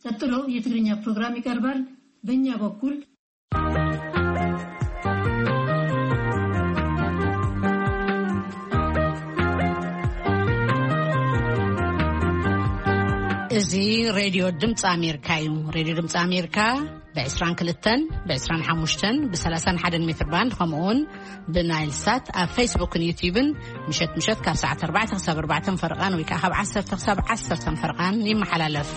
ቀጥሎ የትግርኛ ፕሮግራም ይቀርባል። በእኛ በኩል እዚ ሬድዮ ድምፂ ኣሜሪካ እዩ። ሬድዮ ድምፂ ኣሜሪካ ብ22፣ ብ25፣ ብ31 ሜትር ባንድ፣ ከምኡውን ብናይል ሳት ኣብ ፌስቡክን ዩቲዩብን ምሸት ምሸት ካብ ሰዓት ኣርባዕተ ክሳብ ኣርባዕተ ፈርቓን ወይ ከዓ ካብ ዓሰርተ ክሳብ ዓሰርተ ፈርቓን ይመሓላለፍ።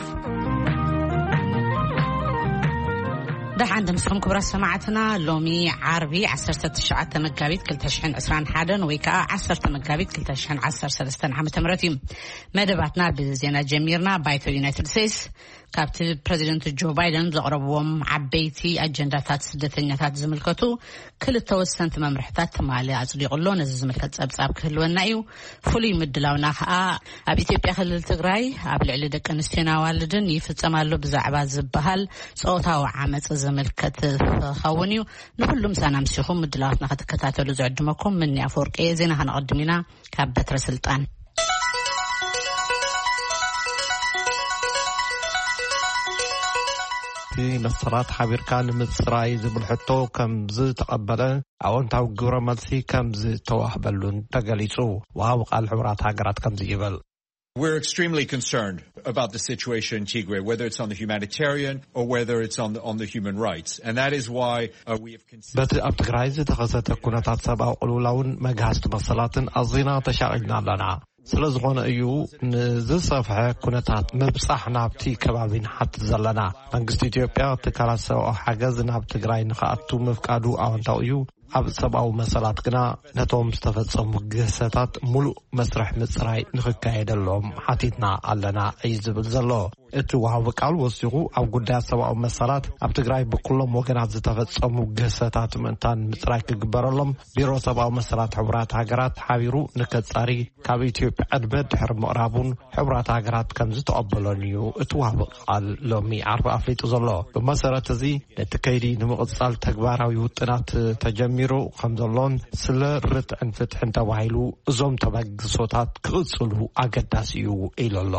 ደሓን ድምፅኹም ክቡራት ሰማዕትና። ሎሚ ዓርቢ ዓሰርተ ትሽዓተ መጋቢት ክልተ ሽሕን ዕስራን ሓደን ወይ ከዓ ዓሰርተ መጋቢት ክልተ ሽሕን ዓሰርተ ሰለስተን ዓመተ ምህረት እዩ። መደባትና ብዜና ጀሚርና። ባይቶ ዩናይትድ ስቴትስ ካብቲ ፕረዚደንት ጆ ባይደን ዘቕረብዎም ዓበይቲ ኣጀንዳታት ስደተኛታት ዝምልከቱ ክልተ ወሰንቲ መምርሕታት ትማሊ ኣጽዲቑ ኣሎ። ነዚ ዝምልከት ጸብጻብ ክህልወና እዩ። ፍሉይ ምድላውና ከኣ ኣብ ኢትዮጵያ ክልል ትግራይ ኣብ ልዕሊ ደቂ ኣንስትዮን ኣዋልድን ይፍጸም ኣሎ ብዛዕባ ዝበሃል ጾታዊ ዓመጽ ዝምልከት ክኸውን እዩ። ንኹሉ ምሳና ምሲኹም ምድላዋትና ክትከታተሉ ዝዕድመኩም ምኒ ኣፈወርቂ እየ። ዜና ከነቐድም ኢና ካብ በትረ ስልጣን። እቲ መሰላት ሓቢርካ ንምጽራይ ዝብል ሕቶ ከም ዝተቐበለ ኣወንታዊ ግብረ መልሲ ከም ዝተዋህበሉን ተገሊጹ። ወሃቢ ቃል ሕቡራት ሃገራት ከምዚ ይብል። We're extremely concerned about the situation in Tigray, whether it's on the humanitarian or whether it's on the, on the human rights. And that is why uh, we have considered በቲ ኣብ ትግራይ ዝተኸሰተ ኩነታት ሰብኣዊ ቅልውላውን መግሃስቲ መሰላትን ኣዚና ተሻቒልና ኣለና። ስለ ዝኾነ እዩ ንዝሰፍሐ ኩነታት ምብጻሕ ናብቲ ከባቢ ንሓትት ዘለና። መንግስቲ ኢትዮጵያ ትካላት ሰብኣዊ ሓገዝ ናብ ትግራይ ንኽኣቱ ምፍቃዱ ኣወንታዊ እዩ። ኣብ ሰብኣዊ መሰላት ግና ነቶም ዝተፈጸሙ ግህሰታት ሙሉእ መስርሕ ምጽራይ ንኽካየደሎም ሓቲትና ኣለና እዩ ዝብል ዘሎ። እቲ ወሃቢ ቃል ወሲኹ ኣብ ጉዳያት ሰብኣዊ መሰላት ኣብ ትግራይ ብኩሎም ወገናት ዝተፈጸሙ ግህሰታት ምእንታን ምጽራይ ክግበረሎም ቢሮ ሰብኣዊ መሰላት ሕቡራት ሃገራት ሓቢሩ ንከጻሪ ካብ ኢትዮጵያ ዕድመ ድሕሪ ምቕራቡን ሕቡራት ሃገራት ከም ዝተቐበሎን እዩ እቲ ወሃቢ ቃል ሎሚ ዓርቢ ኣፍሊጡ ዘሎ። ብመሰረት እዚ ነቲ ከይዲ ንምቕጻል ተግባራዊ ውጥናት ተጀሚሩ ከም ዘሎን ስለ ርትዕን ፍትሕን ተባሂሉ እዞም ተበግሶታት ክቕጽሉ ኣገዳሲ እዩ ኢሉ ኣሎ።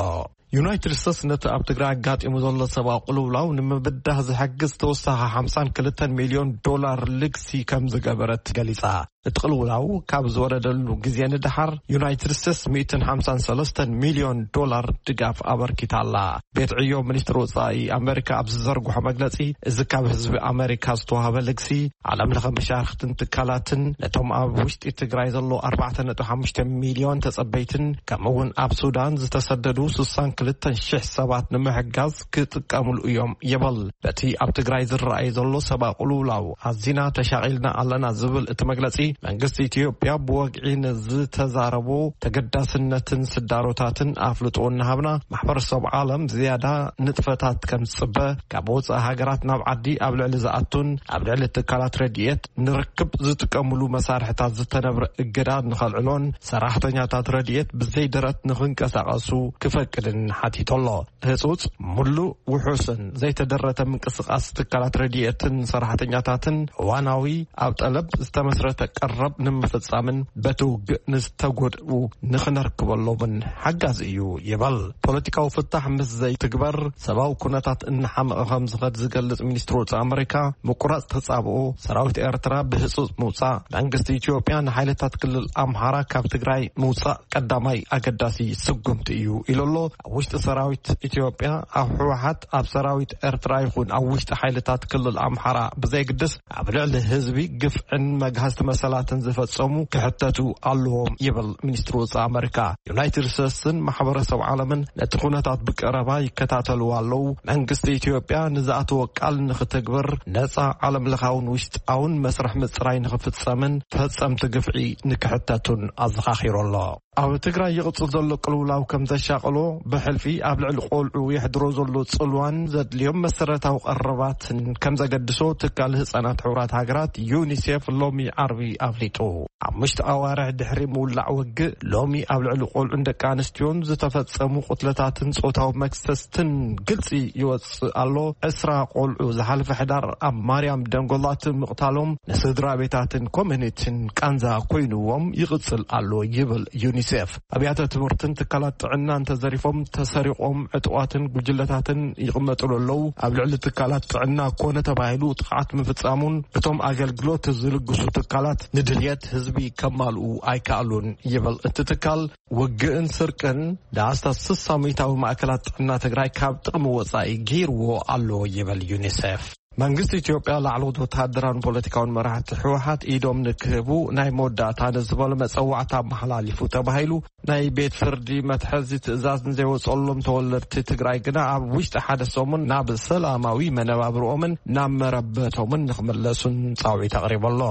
ዩናይትድ ስቴትስ ነቲ ኣብ ትግራይ ኣጋጢሙ ዘሎ ሰብኣዊ ቅልውላው ንምብዳህ ዝሕግዝ ተወሳኺ ሓምሳን ክልተን ሚልዮን ዶላር ልግሲ ከም ዝገበረት ገሊጻ። እቲ ቅልውላው ካብ ዝወረደሉ ግዜ ንደሓር ዩናይትድ ስቴትስ ሚእትን ሓምሳን ሰለስተን ሚልዮን ዶላር ድጋፍ ኣበርኪታ ኣላ። ቤት ዕዮ ሚኒስትሪ ወጻኢ ኣመሪካ ኣብ ዝዘርግሖ መግለጺ፣ እዚ ካብ ህዝቢ ኣመሪካ ዝተዋህበ ልግሲ ዓለም ለኸ መሻርክትን ትካላትን ነቶም ኣብ ውሽጢ ትግራይ ዘሎ ኣርባዕተ ነጥቢ ሓሙሽተ ሚልዮን ተጸበይትን ከምኡ እውን ኣብ ሱዳን ዝተሰደዱ ስሳን ክልተን ሽሕ ሰባት ንምሕጋዝ ክጥቀምሉ እዮም ይብል። በቲ ኣብ ትግራይ ዝረኣይ ዘሎ ሰብኣዊ ቅልውላው ኣዚና ተሻቒልና ኣለና ዝብል እቲ መግለጺ፣ መንግስቲ ኢትዮጵያ ብወግዒ ንዝተዛረቦ ተገዳስነትን ስዳሮታትን ኣፍልጦ እናሃብና ማሕበረሰብ ዓለም ዝያዳ ንጥፈታት ከም ዝጽበ፣ ካብ ወጻኢ ሃገራት ናብ ዓዲ ኣብ ልዕሊ ዝኣቱን ኣብ ልዕሊ ትካላት ረድኤት ንርክብ ዝጥቀምሉ መሳርሕታት ዝተነብረ እገዳ ንኸልዕሎን ሰራሕተኛታት ረድኤት ብዘይ ደረት ንኽንቀሳቐሱ ክፈቅድን ሓቲቱ ኣሎ። ህጹጽ፣ ምሉእ፣ ውሑስን ዘይተደረተ ምንቅስቓስ ትካላት ረድኤትን ሰራሕተኛታትን እዋናዊ ኣብ ጠለብ ዝተመስረተ ቀረብ ንምፍጻምን በቲ ውግእ ንዝተጎድኡ ንኽነርክበሎምን ሓጋዚ እዩ ይብል። ፖለቲካዊ ፍታሕ ምስ ዘይትግበር ሰብኣዊ ኩነታት እናሓመቐ ከም ዝኸድ ዝገልጽ ሚኒስትሪ ወጻኢ ኣመሪካ፣ ምቁራጽ ተጻብኦ ሰራዊት ኤርትራ ብህጹጽ ምውጻእ፣ መንግስቲ ኢትዮጵያ ንሓይልታት ክልል ኣምሓራ ካብ ትግራይ ምውጻእ ቀዳማይ ኣገዳሲ ስጉምቲ እዩ ኢሉ ኣሎ። ኣብ ውሽጢ ሰራዊት ኢትዮጵያ፣ ኣብ ህወሓት፣ ኣብ ሰራዊት ኤርትራ ይኹን ኣብ ውሽጢ ሓይልታት ክልል ኣምሓራ ብዘይግድስ ኣብ ልዕሊ ህዝቢ ግፍዕን መግሃስቲ መሰላትን ዝፈጸሙ ክሕተቱ ኣለዎም ይብል ሚኒስትሪ ወጻኢ ኣመሪካ። ዩናይትድ ስቴትስን ማሕበረሰብ ዓለምን ነቲ ኩነታት ብቀረባ ይከታተልዎ ኣለዉ። መንግስቲ ኢትዮጵያ ንዝኣተወ ቃል ንኽትግብር ነጻ ዓለም ለኻውን ውሽጣውን መስርሕ ምጽራይ ንኽፍጸምን ፈጸምቲ ግፍዒ ንክሕተቱን ኣዘኻኺሩ ኣሎ። ኣብ ትግራይ ይቕጽል ዘሎ ቅልውላው ከም ዘሻቕሎ፣ ብሕልፊ ኣብ ልዕሊ ቆልዑ የሕድሮ ዘሎ ጽልዋን ዘድልዮም መሰረታዊ ቀረባትን ከም ዘገድሶ ትካል ህጻናት ሕቡራት ሃገራት ዩኒሴፍ ሎሚ ዓርቢ ኣፍሊጡ። ሓሙሽተ ኣዋርሕ ድሕሪ ምውላዕ ውግእ፣ ሎሚ ኣብ ልዕሊ ቆልዑን ደቂ ኣንስትዮን ዝተፈጸሙ ቅትለታትን ጾታዊ መክሰስትን ግልጺ ይወጽእ ኣሎ። ዕስራ ቆልዑ ዝሓለፈ ሕዳር ኣብ ማርያም ደንጎላት ምቕታሎም ንስድራ ቤታትን ኮሚኒቲን ቃንዛ ኮይንዎም ይቕጽል ኣሎ ይብል ዩኒሴፍ። ዩኒሴፍ። ኣብያተ ትምህርትን ትካላት ጥዕናን ተዘሪፎም፣ ተሰሪቖም፣ ዕጡቓትን ጉጅለታትን ይቕመጥሉ ኣለዉ። ኣብ ልዕሊ ትካላት ጥዕና ኮነ ተባሂሉ ጥቕዓት ምፍጻሙን እቶም ኣገልግሎት ዝልግሱ ትካላት ንድልየት ህዝቢ ከማልኡ ኣይከኣሉን ይብል እቲ ትካል። ውግእን ስርቅን ዳስታ ስሳ ሚእታዊ ማእከላት ጥዕና ትግራይ ካብ ጥቕሚ ወጻኢ ገይርዎ ኣሎ ይብል ዩኒሴፍ። መንግስቲ ኢትዮጵያ ላዕለዎት ወተሃደራውን ፖለቲካውን መራሕቲ ህወሓት ኢዶም ንክህቡ ናይ መወዳእታ ንዝበሉ መጸዋዕታ ኣመሓላሊፉ ተባሂሉ ናይ ቤት ፍርዲ መትሐዚ ትእዛዝ ንዘይወጸሎም ተወለድቲ ትግራይ ግና ኣብ ውሽጢ ሓደ ሰሙን ናብ ሰላማዊ መነባብርኦምን ናብ መረበቶምን ንኽምለሱን ጻውዒት ኣቕሪቡ ኣሎ።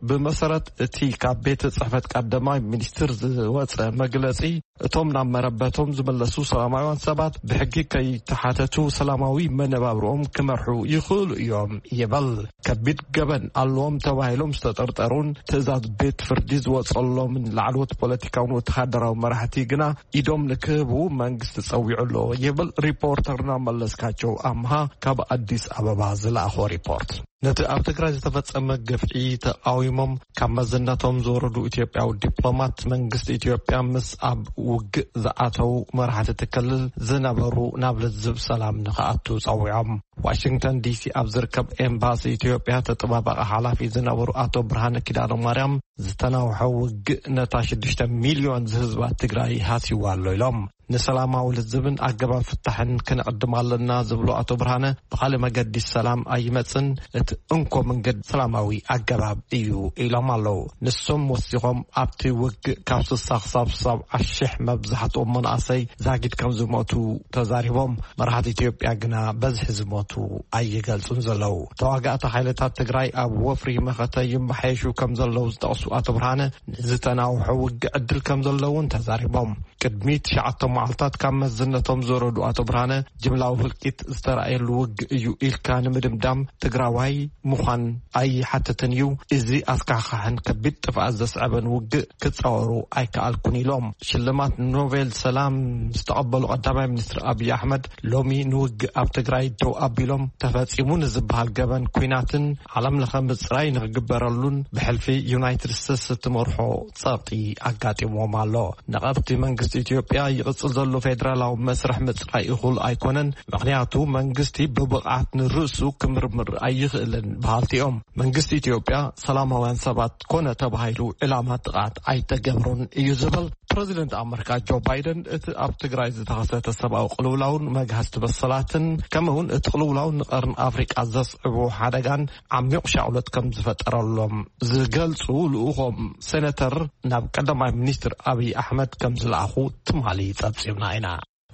ብመሰረት እቲ ካብ ቤት ጽሕፈት ቀዳማይ ሚኒስትር ዝወጸ መግለጺ፣ እቶም ናብ መረበቶም ዝምለሱ ሰላማውያን ሰባት ብሕጊ ከይተሓተቱ ሰላማዊ መነባብርኦም ክመርሑ ይኽእሉ እዮም ይበል። ከቢድ ገበን ኣለዎም ተባሂሎም ዝተጠርጠሩን ትእዛዝ ቤት ፍርዲ ዝወጸሎምን ላዕለዎት ፖለቲካውን ወተሃደራዊ መራሕቲ ግና ኢዶም ንክህቡ መንግስቲ ጸዊዑ ኣሎ ይብል ሪፖርተርና መለስካቸው ኣምሃ ካብ ኣዲስ ኣበባ ዝለኣኾ ሪፖርት። ነቲ ኣብ ትግራይ ዝተፈጸመ ግፍዒ ተቃዊሞም ካብ መዝነቶም ዝወረዱ ኢትዮጵያዊ ዲፕሎማት፣ መንግስቲ ኢትዮጵያ ምስ ኣብ ውግእ ዝኣተው መራሕቲ እቲ ክልል ዝነበሩ ናብ ልዝብ ሰላም ንክኣቱ ጸዊዖም። ዋሽንግተን ዲሲ ኣብ ዝርከብ ኤምባሲ ኢትዮጵያ ተጠባባቂ ሓላፊ ዝነበሩ ኣቶ ብርሃነ ኪዳነ ማርያም፣ ዝተናውሐ ውግእ ነታ ሽዱሽተ ሚልዮን ዝህዝባ ትግራይ ሃስይዋ ኣሎ ኢሎም። ንሰላማዊ ልዝብን ኣገባብ ፍታሕን ክንዕድም ኣለና ዝብሉ ኣቶ ብርሃነ፣ ብኻልእ መገዲ ሰላም ኣይመጽን፣ እቲ እንኮ መንገዲ ሰላማዊ ኣገባብ እዩ ኢሎም ኣለዉ። ንሶም ወሲኾም፣ ኣብቲ ውግእ ካብ ስሳ ክሳብ ሰብዓ ሺሕ መብዛሕትኦም መናእሰይ ዛጊድ ከም ዝሞቱ ተዛሪቦም፣ መራሕቲ ኢትዮጵያ ግና በዝሒ ዝሞቱ ኣይገልጹን ዘለዉ። ተዋጋእቲ ሓይልታት ትግራይ ኣብ ወፍሪ መኸተ ይመሓየሹ ከም ዘለዉ ዝጠቕሱ ኣቶ ብርሃነ፣ ንዝተናውሐ ውግእ ዕድል ከም ዘለውን ተዛሪቦም። ቅድሚ ትሽዓተ መዓልታት ካብ መዝነቶም ዝወረዱ ኣቶ ብርሃነ፣ ጅምላዊ ህልቂት ዝተራእየሉ ውግእ እዩ ኢልካ ንምድምዳም ትግራዋይ ምዃን ኣይሓትትን እዩ። እዚ ኣስካሕካሕን ከቢድ ጥፍኣት ዘስዐበን ውግእ ክጻወሩ ኣይከኣልኩን ኢሎም። ሽልማት ኖቤል ሰላም ዝተቐበሉ ቀዳማይ ሚኒስትር ኣብይ ኣሕመድ፣ ሎሚ ንውግእ ኣብ ትግራይ ደው ኣቢሎም፣ ተፈጺሙ ንዝበሃል ገበን ኲናትን ዓለም ለኸ ምጽራይ ንክግበረሉን ብሕልፊ ዩናይትድ ስቴትስ እትመርሖ ጸቕጢ ኣጋጢምዎም ኣሎ። ነቐፍቲ መንግስቲ ኢትዮጵያ፣ ይቕጽል ዘሎ ፌደራላዊ መስርሕ ምጽራይ እኹል ኣይኮነን፣ ምኽንያቱ መንግስቲ ብብቕዓት ንርእሱ ክምርምር ኣይኽእልን በሃልቲ እዮም። መንግስቲ ኢትዮጵያ ሰላማውያን ሰባት ኮነ ተባሂሉ ዕላማ ጥቕዓት ኣይተገብሮን እዩ ዝብል ፕረዚደንት ኣመሪካ ጆ ባይደን፣ እቲ ኣብ ትግራይ ዝተኸሰተ ሰብኣዊ ቅልውላውን መግሃስቲ መሰላትን፣ ከምኡውን እቲ ቅልውላው ንቀርኒ ኣፍሪቃ ዘስዕቦ ሓደጋን ዓሚቕ ሻቕሎት ከም ዝፈጠረሎም ዝገልጹ ልኡኾም ሴነተር ናብ ቀዳማይ ሚኒስትር ኣብይ ኣሕመድ ከም ዝለኣኹ ትማሊ ጸብጺብና ኢና።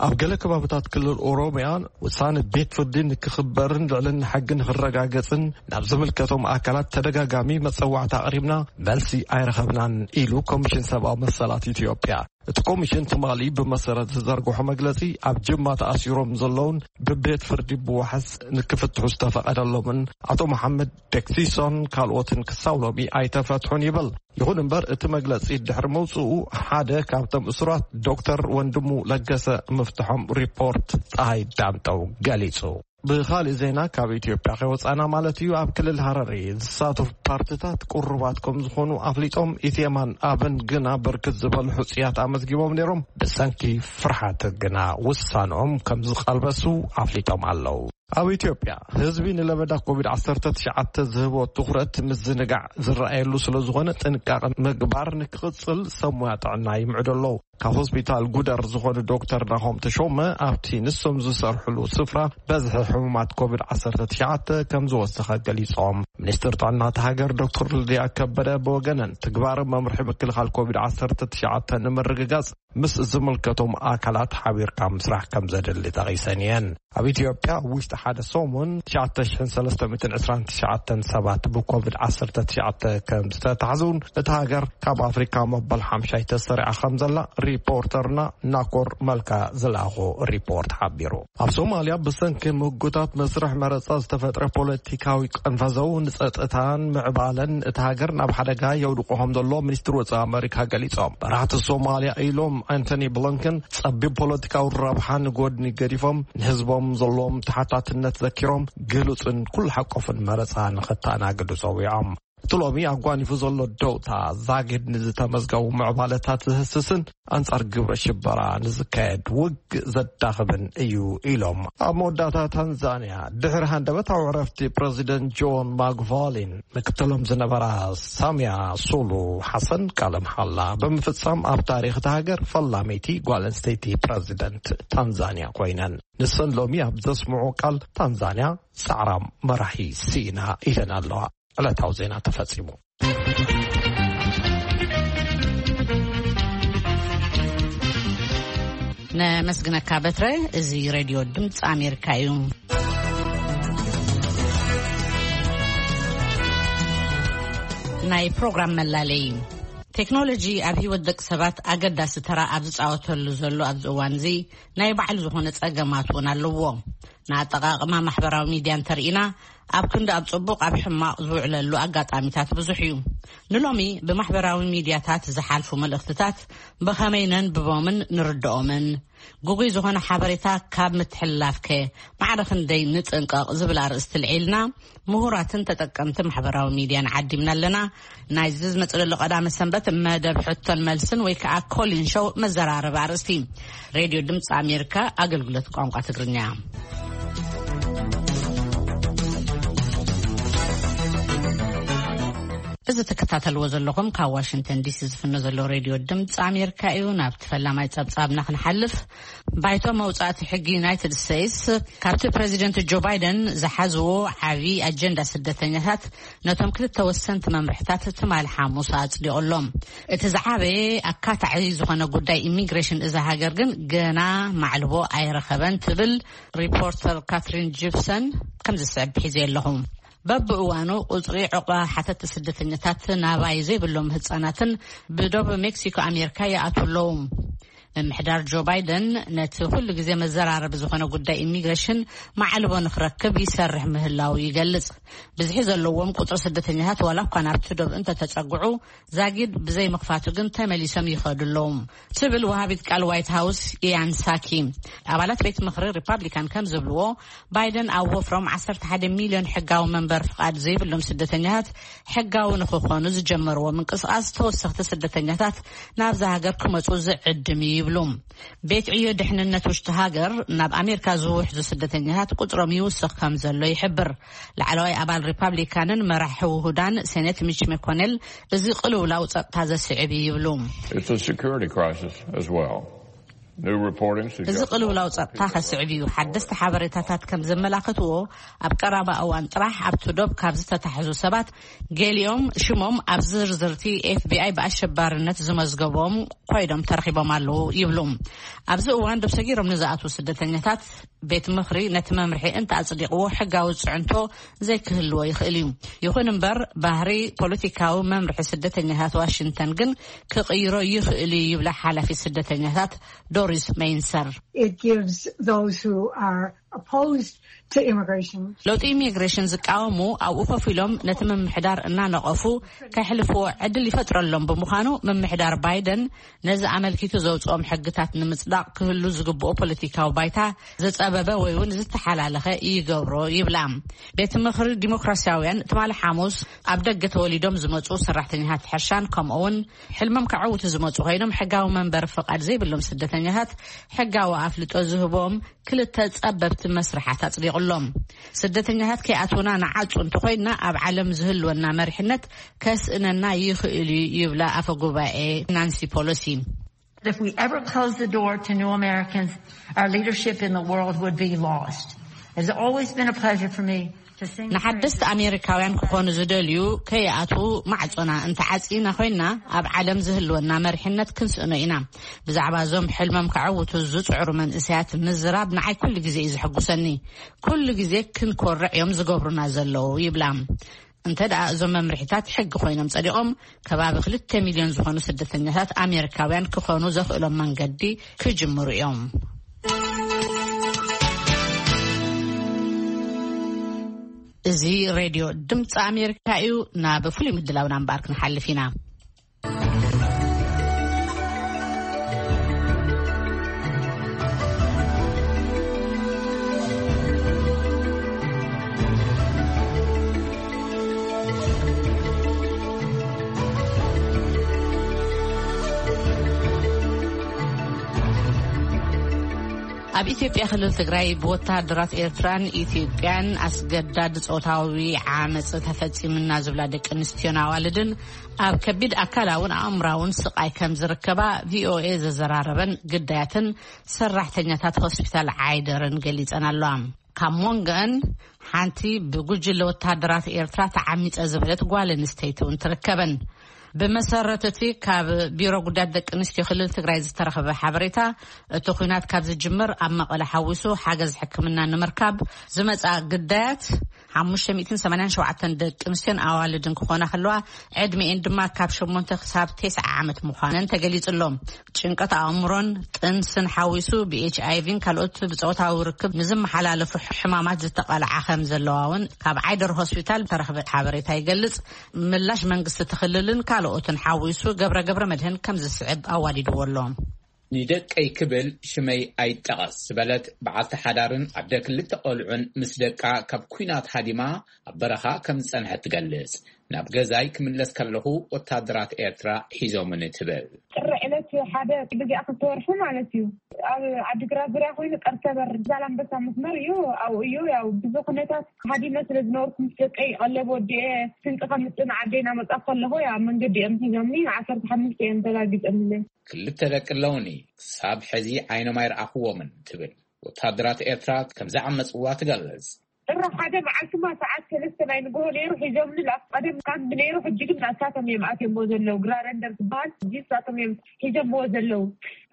ኣብ ገለ ከባብታት ክልል ኦሮሚያ፣ ውሳነ ቤት ፍርዲ ንክኽበርን ልዕልና ሕጊ ንክረጋገጽን ናብ ዝምልከቶም ኣካላት ተደጋጋሚ መጸዋዕታ ኣቕሪብና፣ መልሲ ኣይረኸብናን ኢሉ ኮሚሽን ሰብኣዊ መሰላት ኢትዮጵያ። እቲ ኮሚሽን ትማሊ ብመሰረት ዝዘርግሖ መግለጺ፣ ኣብ ጅማ ተኣሲሮም ዘለውን ብቤት ፍርዲ ብዋሕስ ንክፍትሑ ዝተፈቐደሎምን ኣቶ መሓመድ ደክሲሶን ካልኦትን ክሳብ ሎሚ ኣይተፈትሑን ይብል። ይኹን እምበር፣ እቲ መግለጺ ድሕሪ መውጽኡ፣ ሓደ ካብቶም እሱራት ዶክተር ወንድሙ ለገሰ ምፍትሖም ሪፖርት ጸሃይ ዳምጠው ገሊጹ። ብኻልእ ዜና፣ ካብ ኢትዮጵያ ከይወጻና ማለት እዩ፣ ኣብ ክልል ሃረሪ ዝሳተፉ ፓርትታት ቅሩባት ከም ዝኾኑ ኣፍሊጦም፣ ኢዜማን ኣብን ግና ብርክት ዝበሉ ሕጹያት ኣመዝጊቦም ነይሮም፣ ብሰንኪ ፍርሓት ግና ውሳንኦም ከም ዝቐልበሱ ኣፍሊጦም ኣለዉ። ኣብ ኢትዮጵያ፣ ህዝቢ ንለበዳ ኮቪድ ዓሰርተ ትሽዓተ ዝህቦ ትኹረት ምዝንጋዕ ዝረኣየሉ ስለ ዝኾነ፣ ጥንቃቐ ምግባር ንክቕጽል ሰብ ሞያ ጥዕና ይምዕዱ ኣለዉ። ካብ ሆስፒታል ጉደር ዝኾኑ ዶክተር ናሆም ተሾመ፣ ኣብቲ ንሶም ዝሰርሕሉ ስፍራ በዝሒ ሕሙማት ኮቪድ ዓሰርተ ትሽዓተ ከም ዝወሰኸ ገሊጾም። ሚኒስትር ጥዕና እታ ሃገር ዶክተር ልድያ ከበደ ብወገነን፣ ትግባር መምርሒ ምክልኻል ኮቪድ ዓሰርተ ትሽዓተ ንምርግጋጽ ምስ ዝምልከቶም ኣካላት ሓቢርካ ምስራሕ ከም ዘድሊ ጠቒሰን እየን። ኣብ ኢትዮጵያ ኣብ ውሽጢ ሓደ ሰሙን ትሽዓተ ሽሕን ሰለስተ ሚእትን ዕስራን ትሽዓተን ሰባት ብኮቪድ ዓሰርተ ትሽዓተ ከም ዝተታሕዙን፣ እታ ሃገር ካብ ኣፍሪካ መበል ሓምሻይ ተሰሪዓ ከም ዘላ ሪፖርተርና ናኮር መልካ ዝለኣኾ ሪፖርት ሓቢሩ። ኣብ ሶማልያ ብሰንኪ ምህጎታት መስርሕ መረጻ ዝተፈጥረ ፖለቲካዊ ቀንፈዘው ንጸጥታን ምዕባለን እታ ሃገር ናብ ሓደጋ የውድቆ ከም ዘሎ ሚኒስትር ወጻኢ ኣመሪካ ገሊጾም። መራሕቲ ሶማልያ ኢሎም ኣንቶኒ ብሊንከን፣ ጸቢብ ፖለቲካዊ ረብሓ ንጎድኒ ገዲፎም፣ ንህዝቦም ዘለዎም ተሓታትነት ዘኪሮም፣ ግሉጽን ኩሉ ሓቆፍን መረጻ ንኸተኣናግዱ ጸዊዖም። እቲ ሎሚ ኣጓኒፉ ዘሎ ደውታ ዛጊድ ንዝተመዝገቡ ምዕባለታት ዝህስስን ኣንጻር ግብረ ሽበራ ንዝካየድ ውግእ ዘዳኽምን እዩ ኢሎም። ኣብ መወዳእታ ታንዛንያ ድሕሪ ሃንደበታዊ ዕረፍቲ ፕረዚደንት ጆን ማግቫሊን ምክትሎም ዝነበራ ሳሚያ ሱሉ ሓሰን ቃለ መሓላ ብምፍጻም ኣብ ታሪኽ እታ ሃገር ፈላመይቲ ጓል ኣንስተይቲ ፕረዚደንት ታንዛንያ ኮይነን። ንሰን ሎሚ ኣብ ዘስምዑ ቃል ታንዛንያ ጻዕራም መራሒ ስኢና ኢለን ኣለዋ። ዕለታዊ ዜና ተፈጺሙ። ነመስግነካ በትረ። እዚ ሬድዮ ድምፂ ኣሜሪካ እዩ። ናይ ፕሮግራም መላለይ። ቴክኖሎጂ ኣብ ህይወት ደቂ ሰባት ኣገዳሲ ተራ ኣብ ዝፃወተሉ ዘሎ ኣብዚ እዋን እዚ ናይ ባዕሉ ዝኾነ ፀገማት እውን ኣለዎ። ንኣጠቓቕማ ማሕበራዊ ሚድያ እንተርኢና ኣብ ክንዲ ኣብ ጽቡቕ ኣብ ሕማቕ ዝውዕለሉ ኣጋጣሚታት ብዙሕ እዩ። ንሎሚ ብማሕበራዊ ሚድያታት ዝሓልፉ መልእኽትታት ብኸመይ ነንብቦምን ንርድኦምን? ግጉይ ዝኾነ ሓበሬታ ካብ ምትሕልላፍከ ማዕረ ክንደይ ንጥንቀቕ ዝብል ኣርእስቲ ልዒልና ምሁራትን ተጠቀምቲ ማሕበራዊ ሚድያን ዓዲምና ኣለና። ናይዚ ዝመጽእ ዘሎ ቀዳመ ሰንበት መደብ ሕቶን መልስን ወይ ከዓ ኮሊን ሾው መዘራረቢ ኣርእስቲ። ሬድዮ ድምፂ ኣሜሪካ ኣገልግሎት ቋንቋ ትግርኛ። እዚ ትከታተልዎ ዘለኹም ካብ ዋሽንግተን ዲሲ ዝፍኖ ዘሎ ሬድዮ ድምፂ ኣሜሪካ እዩ። ናብቲ ፈላማይ ጸብጻብና ክንሓልፍ፣ ባይቶ መውጻእቲ ሕጊ ዩናይትድ ስቴትስ ካብቲ ፕሬዚደንት ጆ ባይደን ዝሓዝዎ ዓቢ ኣጀንዳ ስደተኛታት ነቶም ክልተ ወሰንቲ መምርሕታት ትማሊ ሓሙስ ኣጽዲቑሎም። እቲ ዝዓበየ ኣካታዒ ዝኾነ ጉዳይ ኢሚግሬሽን እዛ ሃገር ግን ገና ማዕልቦ ኣይረኸበን ትብል ሪፖርተር ካትሪን ጂፕሰን። ከምዚ ዝስዕብ ሒዘ ኣለኹ። በብእዋኑ ቁጽሪ ዕቑባ ሓተቲ ስደተኛታት ናባይ ዘይብሎም ህጻናትን ብዶብ ሜክሲኮ ኣሜሪካ ይኣትዉ ኣለዉ። ምምሕዳር ጆ ባይደን ነቲ ኩሉ ግዜ መዘራረቢ ዝኾነ ጉዳይ ኢሚግሬሽን ማዕልቦ ንክረክብ ይሰርሕ ምህላው ይገልጽ። ብዝሒ ዘለዎም ቁጽሪ ስደተኛታት ዋላ እኳ ናብቲ ዶብ እንተተጸግዑ ዛጊድ ብዘይ ምኽፋቱ ግን ተመሊሶም ይኸዱ ኣለዉ ትብል ወሃቢት ቃል ዋይት ሃውስ ኢያን ሳኪ። ኣባላት ቤት ምኽሪ ሪፓብሊካን ከም ዝብልዎ ባይደን ኣብ ወፍሮም ዓሰርተ ሓደ ሚልዮን ሕጋዊ መንበር ፍቓድ ዘይብሎም ስደተኛታት ሕጋዊ ንክኾኑ ዝጀመርዎ ምንቅስቃስ ተወሰኽቲ ስደተኛታት ናብዛ ሃገር ክመጹ ዝዕድም እዩ ይብሉ። ቤት ዕዮ ድሕንነት ውሽጢ ሃገር ናብ ኣሜሪካ ዝውሕዙ ስደተኛታት ቁጽሮም ይውስኽ ከም ዘሎ ይሕብር። ላዕለዋይ ኣባል ሪፓብሊካንን መራሒ ውሁዳን ሴኔት ሚች መኮኔል እዚ ቅልውላው ጸጥታ ዘስዕብ እዩ ይብሉ። It's a security crisis as well. New reporting እዚ suggests ቅልውላው ጸጥታ ከስዕብ እዩ። ሓደስቲ ሓበሬታታት ከም ዘመላኽትዎ ኣብ ቀረባ እዋን ጥራሕ ኣብቲ ዶብ ካብ ዝተታሕዙ ሰባት ገሊኦም ሽሞም ኣብ ዝርዝርቲ ኤፍቢኣይ ብኣሸባርነት ዝመዝገቦም ኮይዶም ተረኺቦም ኣለዉ ይብሉ። ኣብዚ እዋን ዶብ ሰጊሮም ንዝኣትዉ ስደተኛታት ቤት ምኽሪ ነቲ መምርሒ እንተ ኣጽዲቕዎ ሕጋዊ ጽዕንቶ ዘይክህልዎ ይኽእል እዩ። ይኹን እምበር ባህሪ ፖለቲካዊ መምርሒ ስደተኛታት ዋሽንግተን ግን ክቕይሮ ይኽእል እዩ ይብላ ሓላፊት ስደተኛታት ዶሪስ ሜይንሰር። It gives those who are opposed to immigration ለውጢ ኢሚግሬሽን ዝቃወሙ ኣብኡ ኮፍ ኢሎም ነቲ ምምሕዳር እናነቐፉ ከሕልፍዎ ዕድል ይፈጥረሎም ብምዃኑ ምምሕዳር ባይደን ነዚ ኣመልኪቱ ዘውፅኦም ሕግታት ንምፅዳቕ ክህሉ ዝግብኦ ፖለቲካዊ ባይታ ዝፀበበ ወይ እውን ዝተሓላለኸ ይገብሮ ይብላ። ቤት ምኽሪ ዲሞክራሲያውያን ትማሊ ሓሙስ ኣብ ደገ ተወሊዶም ዝመፁ ሰራሕተኛታት ሕርሻን ከምኡ እውን ሕልሞም ከዐውቱ ዝመፁ ኮይኖም ሕጋዊ መንበሪ ፍቓድ ዘይብሎም ስደተኛታት ሕጋዊ ኣፍልጦ ዝህቦም ክልተ ጸበብቲ መስርሓት ኣጽዲቑሎም። ስደተኛታት ከይኣትውና ንዓጹ እንተኾይንና ኣብ ዓለም ዝህልወና መሪሕነት ከስእነና ይኽእል እዩ ይብላ ኣፈ ጉባኤ ናንሲ ፖሎሲ። If we ever close the door to new Americans, our leadership in the world would be lost. It's always been a pleasure for me ንሓደስቲ ኣሜሪካውያን ክኾኑ ዝደልዩ ከይኣትዉ ማዕጾና እንተዓጺና ኮይንና ኣብ ዓለም ዝህልወና መሪሕነት ክንስእኖ ኢና። ብዛዕባ እዞም ሕልሞም ከዐውቱ ዝጽዕሩ መንእሰያት ምዝራብ ንዓይ ኩሉ ግዜ እዩ ዘሐጉሰኒ። ኩሉ ግዜ ክንኮርዕ እዮም ዝገብሩና ዘለዉ ይብላ። እንተ ደኣ እዞም መምርሒታት ሕጊ ኮይኖም ጸዲቖም ከባቢ ክልተ ሚልዮን ዝኾኑ ስደተኛታት ኣሜሪካውያን ክኾኑ ዘኽእሎም መንገዲ ክጅምሩ እዮም። እዚ ሬድዮ ድምፂ ኣሜሪካ እዩ። ናብ ፍሉይ ምድላውና እምበኣር ክንሓልፍ ኢና። ኣብ ኢትዮጵያ ክልል ትግራይ ብወታደራት ኤርትራን ኢትዮጵያን ኣስገዳድ ጾታዊ ዓመጽ ተፈጺምና ዝብላ ደቂ ኣንስትዮን ኣዋልድን ኣብ ከቢድ ኣካላውን ኣእምራውን ስቓይ ከም ዝርከባ ቪኦኤ ዘዘራረበን ግዳያትን ሰራሕተኛታት ሆስፒታል ዓይደርን ገሊጸን ኣለዋ። ካብ መንጎኣን ሓንቲ ብጉጅለ ወታደራት ኤርትራ ተዓሚጸ ዝበለት ጓል ኣንስተይቲ እውን ትርከበን። ብመሰረት እቲ ካብ ቢሮ ጉዳያት ደቂ ኣንስትዮ ክልል ትግራይ ዝተረኸበ ሓበሬታ፣ እቲ ኲናት ካብ ዝጅምር ኣብ መቐለ ሓዊሱ ሓገዝ ሕክምና ንምርካብ ዝመጻ ግዳያት ሓሙሽተ ሚእትን ሰማንያን ሸውዓተን ደቂ ኣንስትዮን ኣዋልድን ክኾና ከለዋ፣ ዕድሚኤን ድማ ካብ ሸሞንተ ክሳብ ተስዓ ዓመት ምዃነን ተገሊጹ ኣሎ። ጭንቀት ኣእምሮን ጥንስን ሓዊሱ ብኤች ኣይ ቪን ካልኦት ብጾታዊ ርክብ ንዝመሓላለፉ ሕማማት ዝተቐልዓ ከም ዘለዋ እውን ካብ ዓይደር ሆስፒታል ተረኽበ ሓበሬታ ይገልጽ። ምላሽ መንግስቲ እቲ ክልልን ካልኦትን ሓዊሱ ገብረ ገብረ መድህን ከም ዝስዕብ ኣዋዲድዎ ኣሎ። ንደቀይ ክብል ሽመይ ኣይጠቐስ ዝበለት በዓልቲ ሓዳርን ኣደ ክልተ ቆልዑን ምስ ደቃ ካብ ኲናት ሃዲማ ኣብ በረኻ ከም ዝጸንሐት ትገልጽ። ናብ ገዛይ ክምለስ ከለኹ ወታደራት ኤርትራ ሒዞምኒ ትብል። ጥሪ ዕለት ሓደ ብዚኣ ክልተ ወርሒ ማለት እዩ። ኣብ ዓዲግራት ዙርያ ኮይኑ ቀርሰበር ዛላምበሳ መስመር እዩ። ኣብኡ እዩ ያው ብዙ ኩነታት ሃዲመ ስለ ዝነበርኩ ምስ ደቀይ ቀለብ ወዲኤ ስንቂ ከምጽእ ንዓደይ ናመጻ ከለኹ ያ መንገዲ እዮም ሒዞምኒ። ዓሰርተ ሓሙሽተ እዮም ተጋጊጾምለይ። ክልተ ደቂ ኣለውኒ፣ ክሳብ ሕዚ ዓይኖም ኣይረኣኽዎምን ትብል። ወታደራት ኤርትራ ከም ዝዓመጽዋ ትገልጽ። ጥሪ ሓደ መዓልቲ ማ ሰዓት ሰለስተ ናይ ንግሆ ነይሩ ሒዞምኒ። ኣብ ቀደም ካምፕ ነይሩ፣ ሕጂ ግን ናሳቶም እዮም ኣትዮምዎ ዘለዉ። ግራረንደር ዝበሃል ሕጂ ንሳቶም እዮም ሒዞምዎ ዘለዉ።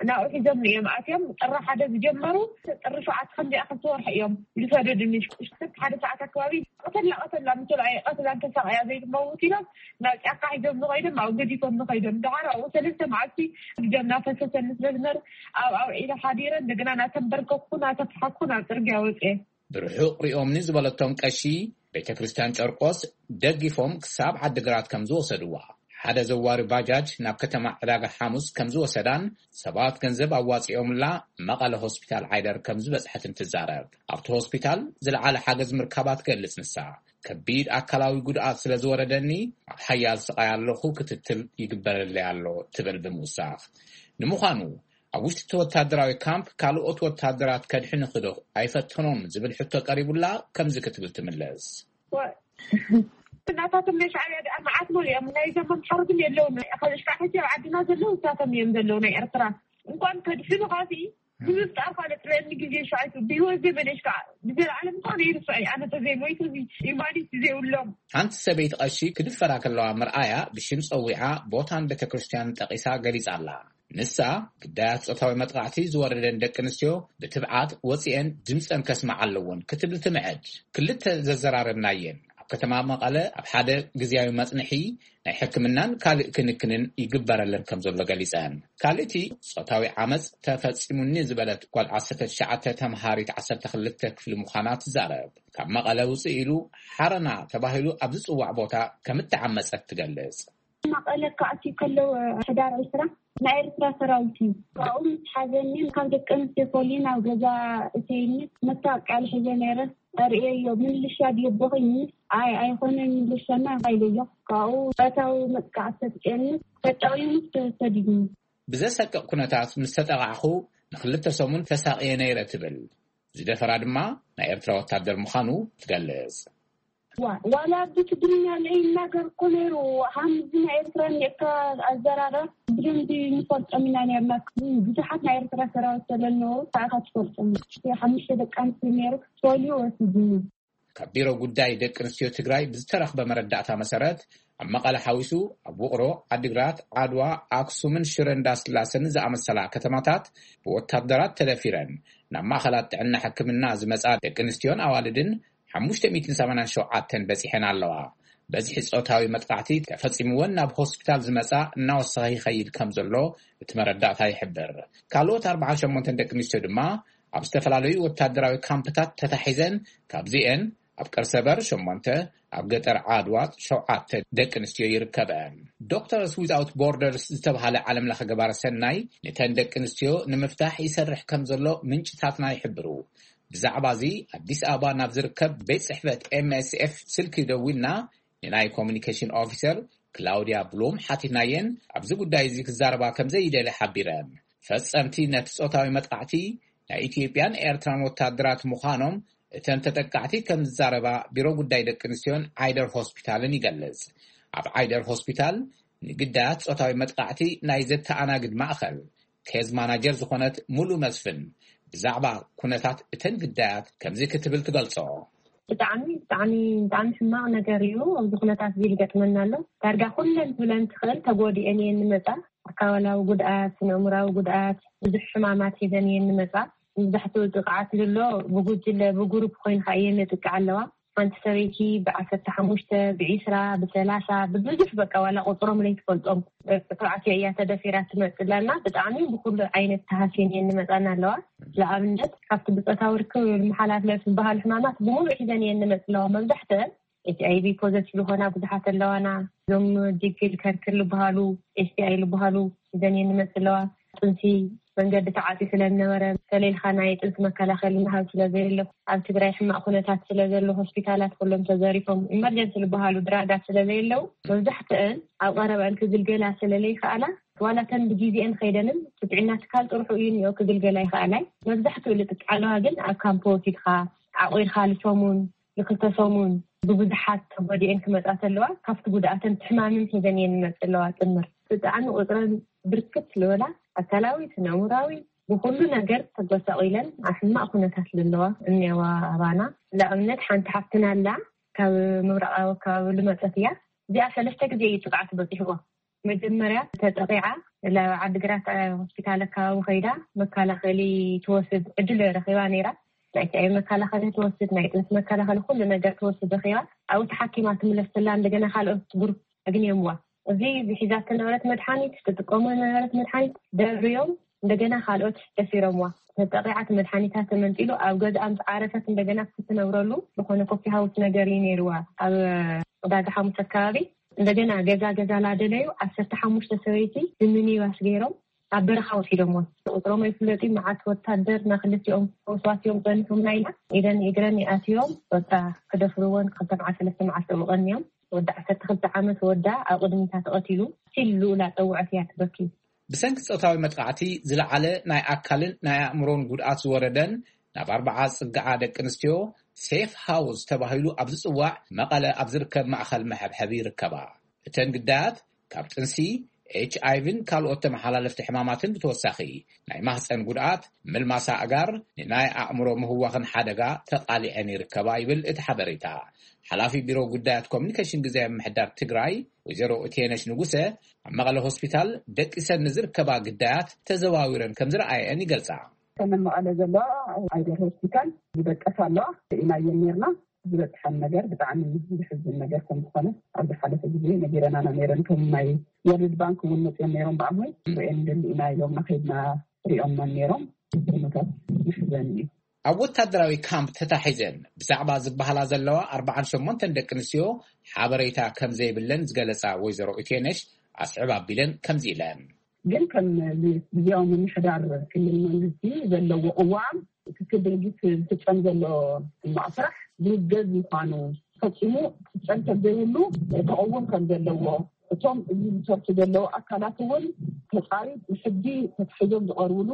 ናብኡ ሒዞምኒ እዮም ኣትዮም። ጥሪ ሓደ ዝጀመሩ ጥሪ ሸውዓተ ከምዚኣ ክልተ ወርሒ እዮም ዝሰደዱኒ። ሽዑ ሓደ ሰዓት ኣከባቢ ቀተላ ቀተላ ምስ በልዓዮ ቀትላን ተሳቕያ ዘይትመውት ኢሎም ናብ ጫካ ሒዞምኒ ከይዶም ኣብኡ ገዲፎምኒ ከይዶም። ደሓር ኣብኡ ሰለስተ መዓልቲ ደም ናፈሰሰኒ ስለ ዝነበረ ኣብ ኣውዒለ ሓዲረ። እንደገና ናተንበርከኩ ናተፍሓኩ ናብ ጽርግያ ወፅኤ። ብርሑቕ ሪኦምኒ ዝበለቶም ቀሺ ቤተ ክርስቲያን ጨርቆስ ደጊፎም ክሳብ ዓዲግራት ከም ዝወሰድዋ፣ ሓደ ዘዋሪ ባጃጅ ናብ ከተማ ዕዳጋ ሓሙስ ከም ዝወሰዳን ሰባት ገንዘብ ኣዋጺኦምላ መቐለ ሆስፒታል ዓይደር ከም ዝበጽሐትን ትዛረብ። ኣብቲ ሆስፒታል ዝለዓለ ሓገዝ ምርካባ ትገልጽ ንሳ። ከቢድ ኣካላዊ ጉድኣት ስለ ዝወረደኒ ኣብ ሓያል ስቓይ ኣለኹ፣ ክትትል ይግበረለይ ኣሎ ትብል ብምውሳኽ። ንምዃኑ ኣብ ውሽጢ እቲ ወታደራዊ ካምፕ ካልኦት ወታደራት ከድሕንኺ ዶ ኣይፈተኖን ዝብል ሕቶ ቀሪቡላ ከምዚ ክትብል ትምልስ። ናታቶም ናይ ሻዕብያ ደኣ መዓት መሊኦም ናይ ዘመምሓሩ ግን የለውን። ካብ ሽካዕ ሕጂ ኣብ ዓድና ዘለዉ እሳቶም እዮም ዘለዉ ናይ ኤርትራ እንኳን ከድሕኑ ካሲ ብምፍጣር ካልእ ጥበብኒ ግዜ ሻይቱ ብህይወት ዘመነሽ ከዓ ብዘለዓለም እንኳን ይርስዐ ኣነ ተዘይሞይቱ እዚ ኢማኒት ዘይብሎም። ሓንቲ ሰበይቲ ቀሺ ክድፈራ ከለዋ ምርኣያ ብሽም ጸዊዓ ቦታን ቤተ ክርስቲያንን ጠቒሳ ገሊጻ ኣላ። ንሳ ግዳያት ጾታዊ መጥቃዕቲ ዝወረደን ደቂ ኣንስትዮ ብትብዓት ወጺኤን ድምጸን ከስምዓ ኣለዎን ክትብል ትምዕድ። ክልተ ዘዘራረብናየን ኣብ ከተማ መቐለ ኣብ ሓደ ግዝያዊ መጽንሒ ናይ ሕክምናን ካልእ ክንክንን ይግበረለን ከም ዘሎ ገሊጸን። ካልእቲ ጾታዊ ዓመጽ ተፈጺሙኒ ዝበለት ጓል ዓሰርተ ትሽዓተ ተምሃሪት ዓሰርተ ክልተ ክፍሊ ምዃና ትዛረብ። ካብ መቐለ ውጽእ ኢሉ ሓረና ተባሂሉ ኣብ ዝጽዋዕ ቦታ ከም እተዓመጸት ትገልጽ። መቐለ ክኣትዩ ከለዉ ሕዳር ዕስራ ናይ ኤርትራ ሰራዊት እዩ። ካብኡ ምስ ሓዘኒ ካብ ደቂ ኣንስትዮ ፈልዩ ናብ ገዛ እተይኒ መታወቂያ ሒዘ ነይረ። ኣርእየዮ ምልሻ ድዩ ኣቦኺ ምስ ኣይ ኣይኮነን ምልሻና ኢለዮ። ካብኡ ጾታዊ መጥቃዕቲ ተጥቅየኒ ተጠቒሙ ተሰዲድኒ። ብዘሰቅቕ ኩነታት ምስ ተጠቓዕኹ ንኽልተ ሰሙን ተሳቕየ ነይረ ትብል። ዝደፈራ ድማ ናይ ኤርትራ ወታደር ምዃኑ ትገልጽ። ዋ- ዋላ ብትግርኛ ለይናገር እኮ ነይሩ። ሃምዚ ናይ ኤርትራ ኔርካ ኣዘራረብ ብደንቢ ንፈልጦም ኢና ነርና። ብዙሓት ናይ ኤርትራ ሰራዊት ስለለዉ ታእካ ትፈልጦም። ሓሙሽተ ደቂ ኣንስትዮ ነይሩ ፈልዩ ወሲድኒ። ካብ ቢሮ ጉዳይ ደቂ ኣንስትዮ ትግራይ ብዝተረኽበ መረዳእታ መሰረት ኣብ መቐለ ሓዊሱ ኣብ ውቕሮ፣ ዓዲግራት፣ ዓድዋ፣ ኣክሱምን ሽረ እንዳስላሰን ዝኣመሰላ ከተማታት ብወታደራት ተደፊረን ናብ ማእኸላት ጥዕና ሕክምና ዝመፃ ደቂ ኣንስትዮን ኣዋልድን ሓሙሽተ ሚእትን ሰማንያን ሸውዓተን በፂሐን ኣለዋ። በዝሒ ፆታዊ መጥቃዕቲ ተፈፂምወን ናብ ሆስፒታል ዝመፃ እናወሰኸ ይኸይድ ከም ዘሎ እቲ መረዳእታ ይሕብር። ካልኦት ኣርባዓን ሸሞንተን ደቂ ኣንስትዮ ድማ ኣብ ዝተፈላለዩ ወታደራዊ ካምፕታት ተታሒዘን፣ ካብዚኤን ኣብ ቀርሰበር ሸሞንተ፣ ኣብ ገጠር ዓድዋ ሸውዓተ ደቂ ኣንስትዮ ይርከበን። ዶክተርስ ዊዛውት ቦርደርስ ዝተባሃለ ዓለም ለኸ ገባረ ሰናይ ነተን ደቂ ኣንስትዮ ንምፍታሕ ይሰርሕ ከም ዘሎ ምንጭታትና ይሕብሩ። ብዛዕባ እዚ ኣዲስ ኣበባ ናብ ዝርከብ ቤት ጽሕፈት ኤም ኤስ ኤፍ ስልኪ ደዊልና ንናይ ኮሚኒኬሽን ኦፊሰር ክላውድያ ብሉም ሓቲትናየን ኣብዚ ጉዳይ እዚ ክዛረባ ከም ዘይደሊ ሓቢረን። ፈጸምቲ ነቲ ጾታዊ መጥቃዕቲ ናይ ኢትዮጵያን ኤርትራን ወታደራት ምዃኖም እተን ተጠቃዕቲ ከም ዝዛረባ ቢሮ ጉዳይ ደቂ ኣንስትዮን ዓይደር ሆስፒታልን ይገልጽ። ኣብ ዓይደር ሆስፒታል ንግዳያት ጾታዊ መጥቃዕቲ ናይ ዘተኣናግድ ማእኸል ኬዝ ማናጀር ዝኾነት ሙሉ መስፍን ብዛዕባ ኩነታት እተን ግዳያት ከምዚ ክትብል ትገልጾ። ብጣዕሚ ብጣዕሚ ብጣዕሚ ሕማቕ ነገር እዩ። ኣብዚ ኩነታት እዚ ዝገጥመና ኣሎ። ዳርጋ ኩለን ትብለን ትኽእል ተጎዲኤን እየን ንመጻ። ኣካላዊ ጉድኣት፣ ስነ ኣእምራዊ ጉድኣት፣ ብዙሕ ሕማማት ሒዘን እየን ንመጻ። መብዛሕትኡ ጥቕዓት ዝሎ ብጉጅለ ብጉሩፕ ኮይንካ እየን ንጥቅዓ ኣለዋ። ሓንቲ ሰበይቲ ብዓሰርተ ሓሙሽተ፣ ብዒስራ፣ ብሰላሳ፣ ብብዙሕ በቃ ዋላ ቁፅሮም ለይትፈልጦም ጥቅዓት እያ ተደፊራ ትመፅእ ኣላ። ብጣዕሚ ብኩሉ ዓይነት ተሃስየን እየን ንመፃና ኣለዋ። ንኣብነት ካብቲ ብፆታዊ ርክብ ዝመሓላለፍ ዝበሃሉ ሕማማት ብምሉእ ሒዘን እየን ንመፅእ ኣለዋ። መብዛሕትአን ኤች ኣይ ቪ ፖዘቲቭ ዝኾና ብዙሓት ኣለዋና። እዞም ጅግል ከርክር ዝበሃሉ ኤስ ቲ ኣይ ዝበሃሉ ሒዘን እየን ንመፅእ ኣለዋ። ጥንሲ መንገዲ ተዓፂ ስለ ዝነበረ ተሌልካ ናይ ጥንሲ መከላኸሊ ምሃብ ስለ ዘየሎ ኣብ ትግራይ ሕማቕ ኩነታት ስለ ዘሎ ሆስፒታላት ኩሎም ተዘሪፎም ኢመርጀንሲ ዝበሃሉ ድራጋት ስለ ዘየለው መብዛሕትአን ኣብ ቀረበአን ክግልገላ ስለ ለይከኣላ ዋላ ተን ብግዜአን ከይደንን እቲ ጥዕና ትካል ጥርሑ እዩ እኒኦ ክግልገላ ይኸኣላይ መብዛሕትኡ ልጥቃ ኣለዋ ግን ኣብ ካምፖ ወሲድካ ዓቑርካ ልሰሙን ንክልተ ሰሙን ብብዙሓት ተጎዲኤን ክመፃ ተለዋ ካብቲ ጉድኣተን ትሕማምን ሒዘን እየን ንመፅእ ኣለዋ ጥምር ብጣዕሚ ቁፅረን ብርክት ዝበላ ኣካላዊ ስነምራዊ ብኩሉ ነገር ተጎሳቂለን ኣብ ሕማቅ ኩነታት ዘለዋ እኒዋ ኣባና ንኣብነት ሓንቲ ሓፍትና ኣላ ካብ ምብራቃዊ ኣከባቢ ልመፀት እያ እዚኣ ሰለስተ ግዜ እዩ ጥቃዓት በፂሕዋ መጀመርያ ተጠቂዓ ናብ ዓዲግራት ሆስፒታል ኣከባቢ ከይዳ መከላኸሊ ትወስድ ዕድል ረኺባ ነይራ ናይ ቲኣይ መከላኸሊ ትወስድ ናይ ጥንሲ መከላኸሊ ኩሉ ነገር ትወስድ ረኺባ ኣብኡ ተሓኪማ ትምለስ ተላ እንደገና ካልኦት ግሩፕ ኣግንዮምዋ እዚ ዝሒዛቶ ነበረት መድሓኒት ትጥቀሞ ነበረት መድሓኒት ደብርዮም እንደገና ካልኦት ደፊሮምዋ ተጠቂዓት መድሓኒታ ተመንጢሉ ኣብ ገዝኣ ምስ ዓረፈት እንደገና ክትነብረሉ ዝኾነ ኮፊ ሃውስ ነገር እዩ ነይርዋ ኣብ ዕዳጋ ሓሙስ ኣከባቢ እንደገና ገዛ ገዛ ላደለዩ ዓሰርተ ሓሙሽተ ሰበይቲ ብሚኒባስ ገይሮም ኣብ በረኻ ወሲዶምወን ቁፅሮም ኣይፍለጥ መዓት ወታደር ናክልቲኦም ወስዋሲዮም ፀኒሖምና ኢላ ኢደን እግረን ይኣትዮም በቃ ክደፍርወን ክልተ መዓት ሰለስተ መዓት ጠውቀንዮም ወዲ ዓሰርተ ክልተ ዓመት ወዳ ኣብ ቅድሚታ ተቐቲሉ ሲል ልኡላ ፀውዐት እያ ትበኪ ብሰንኪ ፆታዊ መጥቃዕቲ ዝለዓለ ናይ ኣካልን ናይ ኣእምሮን ጉድኣት ዝወረደን ናብ ኣርባዓ ዝፅግዓ ደቂ ኣንስትዮ ሴፍ ሃውስ ተባሂሉ ኣብ ዝፅዋዕ መቐለ ኣብ ዝርከብ ማእኸል መሐብሐቢ ይርከባ። እተን ግዳያት ካብ ጥንሲ፣ ኤች ኣይ ቪን ካልኦት ተመሓላለፍቲ ሕማማትን ብተወሳኺ ናይ ማህፀን ጉድኣት፣ ምልማስ ኣእጋር፣ ንናይ ኣእምሮ ምህዋኽን ሓደጋ ተቓሊዐን ይርከባ ይብል እቲ ሓበሬታ። ሓላፊ ቢሮ ጉዳያት ኮሚኒኬሽን ግዜ ምምሕዳር ትግራይ ወይዘሮ እቴነሽ ንጉሰ ኣብ መቐለ ሆስፒታል ደቂሰን ንዝርከባ ግዳያት ተዘዋዊረን ከም ዝረኣየን ይገልጻ። ተመን መቐለ ዘለዋ ኣይደር ሆስፒታል ዝደቀሳ ኣለዋ ኢናየን ነርና ዝበፅሐን ነገር ብጣዕሚ ዝሕዝን ነገር ከም ዝኾነ ኣብ ዝሓለፈ ግዜ ነጊረናና ነይረን ከም ናይ ወርልድ ባንክ እውን መፅኦም ነይሮም ብኣምሆይ ርኤን ደሊ ኢና ኢሎምና ከይድና ሪኦምና ነይሮም። ኩነታት ይሕዘን እዩ። ኣብ ወታደራዊ ካምፕ ተታሒዘን ብዛዕባ ዝበሃላ ዘለዋ ኣርባዓን ሸሞንተን ደቂ ኣንስትዮ ሓበሬታ ከም ዘይብለን ዝገለፃ ወይዘሮ ኢቴነሽ ኣስዕብ ኣቢለን ከምዚ ኢለን። ግን ከም ግዜያዊ ምምሕዳር ክልል መንግስቲ ዘለዎ ቅዋም ትክክል ድርጊት ዝፍፀም ዘሎ ሕማቕ ስራሕ ዝውገዝ ምዃኑ ፈፂሙ ክፍፀም ከም ዘይብሉ ተቐውም ከም ዘለዎ እቶም እዚ ዝሰርሑ ዘለዉ ኣካላት እውን ተፃሪ ብሕጊ ተታሒዞም ዝቐርብሉ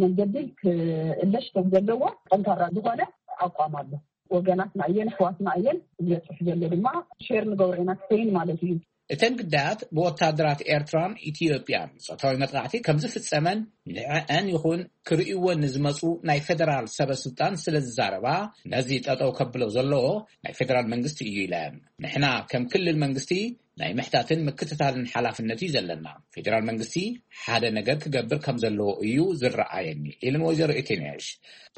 መንገዲ ክእለሽ ከም ዘለዎ ጠንካራ ዝኾነ ኣቋም ኣሎ። ወገናትና እየን ኣሕዋትና እየን ዝበፅሕ ዘሎ ድማ ሼር ንገብሮ ኢና ክሰይን ማለት እዩ። እተን ግዳያት ብወታደራት ኤርትራን ኢትዮጵያን ፆታዊ መጥቃዕቲ ከም ዝፍፀመን ንዐዐን ይኹን ክርእይወን ንዝመፁ ናይ ፌደራል ሰበ ስልጣን ስለ ዝዛረባ ነዚ ጠጠው ከብሎ ዘለዎ ናይ ፌደራል መንግስቲ እዩ ኢለን። ንሕና ከም ክልል መንግስቲ ናይ ምሕታትን ምክትታልን ሓላፍነት እዩ ዘለና። ፌደራል መንግስቲ ሓደ ነገር ክገብር ከም ዘለዎ እዩ ዝረኣየኒ ኢለን ወይዘሮ ኢቴነሽ።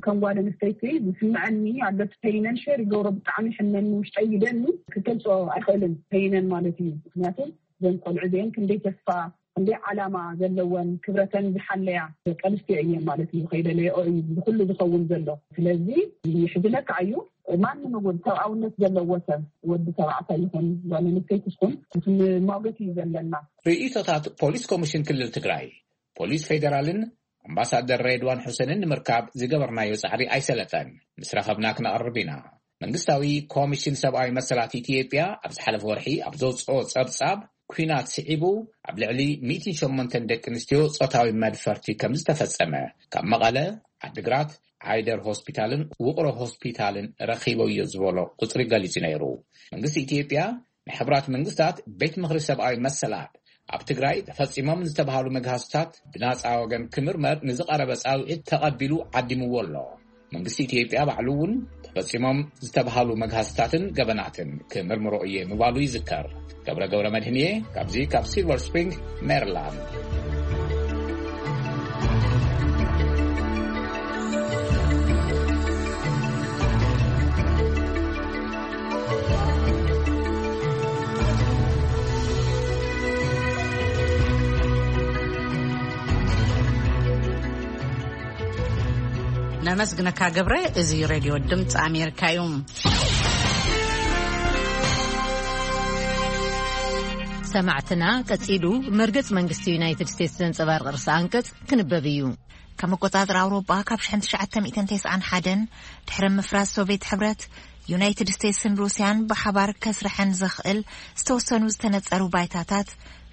ከም ጓል ኣንስተይቲ ዝስምዐኒ ኣሎ እቲ ፔይነን ሸር ይገብሮ ብጣዕሚ ሕመኒ ውሽጠይ ይደኒ ክገልፆ ኣይኽእልን ፔይነን ማለት እዩ ምክንያቱ ዘን ቆልዑ እዚአን ክንደይ ተስፋ ክንደይ ዓላማ ዘለወን ክብረተን ዝሓለያ ደቂ ኣንስትዮ እየን ማለት እዩ ከይደለየኦ እዩ ብኩሉ ዝኸውን ዘሎ ስለዚ ይሕዝነካ እዩ ማንም እውን ሰብኣውነት ዘለዎ ሰብ ወዲ ተባዕታይ ይኹን ጓል ኣንስተይቲ ትኹን እቲ ሞገት እዩ ዘለና። ርእይቶታት ፖሊስ ኮሚሽን ክልል ትግራይ፣ ፖሊስ ፌዴራልን ኣምባሳደር ሬድዋን ሑሰንን ንምርካብ ዝገበርናዮ ፃዕሪ ኣይሰለጠን። ምስ ረኸብና ክነቕርብ ኢና። መንግስታዊ ኮሚሽን ሰብኣዊ መሰላት ኢትዮጵያ ኣብ ዝሓለፈ ወርሒ ኣብ ዘውፅኦ ፀብፃብ ኲናት ስዒቡ ኣብ ልዕሊ ሚእትን ሸሞንተን ደቂ ኣንስትዮ ፆታዊ መድፈርቲ ከም ዝተፈፀመ ካብ መቐለ ዓድግራት፣ ዓይደር ሆስፒታልን ውቕሮ ሆስፒታልን ረኺበዮ ዝበሎ ቁጽሪ ገሊጹ ነይሩ። መንግስቲ ኢትዮጵያ ንሕቡራት መንግስታት ቤት ምኽሪ ሰብኣዊ መሰላት ኣብ ትግራይ ተፈጺሞም ዝተባሃሉ መግሃስታት ብናጻ ወገን ክምርመር ንዝቐረበ ጻውዒት ተቐቢሉ ዓዲምዎ ኣሎ። መንግስቲ ኢትዮጵያ ባዕሉ እውን ተፈጺሞም ዝተባሃሉ መግሃስታትን ገበናትን ክምርምሮ እየ ምባሉ ይዝከር። ገብረ ገብረ መድህን እየ ካብዚ ካብ ሲልቨር ስፕሪንግ ሜሪላንድ። ነመስግነካ ገብረ። እዚ ሬድዮ ድምፂ ኣሜሪካ እዩ። ሰማዕትና፣ ቀጺሉ መርገጽ መንግስቲ ዩናይትድ ስቴትስ ዘንጸባርቕ ርእሰ ኣንቀጽ ክንበብ እዩ። ከም ኣቆጻጽራ ኣውሮጳ ካብ ሽሕን ትሽዓተ ሚእትን ተስዓን ሓደን ድሕሪ ምፍራስ ሶቪየት ሕብረት፣ ዩናይትድ ስቴትስን ሩስያን ብሓባር ከስርሐን ዘኽእል ዝተወሰኑ ዝተነጸሩ ባይታታት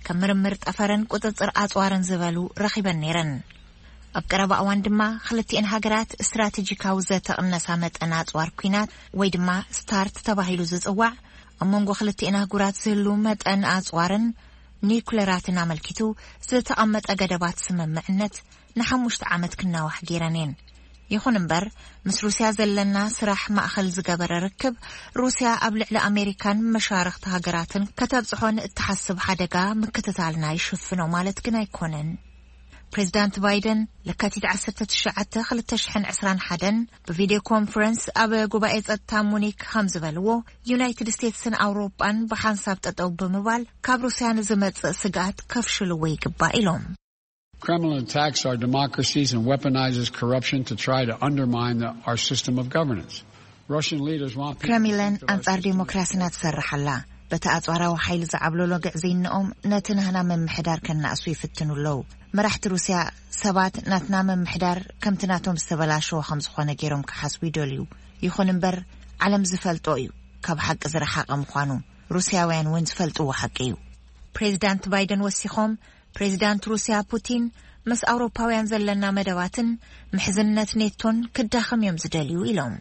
ከም ምርምር ጠፈርን ቁጽጽር ኣጽዋርን ዝበሉ ረኺበን ነይረን። ኣብ ቀረባ እዋን ድማ ክልቲኤን ሃገራት ስትራቴጂካዊ ዘተቕነሳ መጠን ኣጽዋር ኲናት ወይ ድማ ስታርት ተባሂሉ ዝጽዋዕ ኣብ መንጎ ክልቲኤን ኣህጉራት ዝህሉ መጠን ኣጽዋርን ኒኩለራትን ኣመልኪቱ ዝተቐመጠ ገደባት ስምምዕነት ንሓሙሽተ ዓመት ክናዋሕ ገይረን እየን። ይኹን እምበር፣ ምስ ሩስያ ዘለና ስራሕ ማእኸል ዝገበረ ርክብ፣ ሩስያ ኣብ ልዕሊ ኣሜሪካን መሻርኽቲ ሃገራትን ከተብጽሖ ንእትሓስብ ሓደጋ ምክትታልና ይሽፍኖ ማለት ግን ኣይኮነን። ፕሬዚዳንት ባይደን ለካቲት ዓሰርተ ትሽዓተ ክልተ ሽሕን ዕስራን ሓደን ብቪድዮ ኮንፈረንስ ኣብ ጉባኤ ጸጥታ ሙኒክ ከም ዝበልዎ፣ ዩናይትድ ስቴትስን ኣውሮጳን ብሓንሳብ ጠጠው ብምባል ካብ ሩስያ ንዝመጽእ ስግኣት ከፍሽልዎ ይግባእ ኢሎም። Kremlin attacks our democracies and weaponizes corruption to try to undermine the, our system of governance. Russian leaders want people to ክሬምሊን think that our ኣንጻር system is ዴሞክራሲና ትሰርሕ ኣላ። በቲ ኣጽዋራዊ ሓይሊ ዝዓብለሎ ግዕዝይንኦም ነቲ ናህና ምምሕዳር ከናእሱ ይፍትኑ ኣለዉ። መራሕቲ ሩስያ ሰባት ናትና ምምሕዳር ከምቲ ናቶም ዝተበላሸወ ከም ዝኾነ ገይሮም ክሓስቡ ይደልዩ። ይኹን እምበር፣ ዓለም ዝፈልጦ እዩ ካብ ሓቂ ዝረሓቐ ምዃኑ። ሩስያውያን እውን ዝፈልጥዎ ሓቂ እዩ። ፕሬዚዳንት ባይደን ወሲኾም፣ ፕሬዚዳንት ሩስያ ፑቲን ምስ ኣውሮፓውያን ዘለና መደባትን ምሕዝነት ኔቶን ክዳኸም እዮም ዝደልዩ ኢሎም።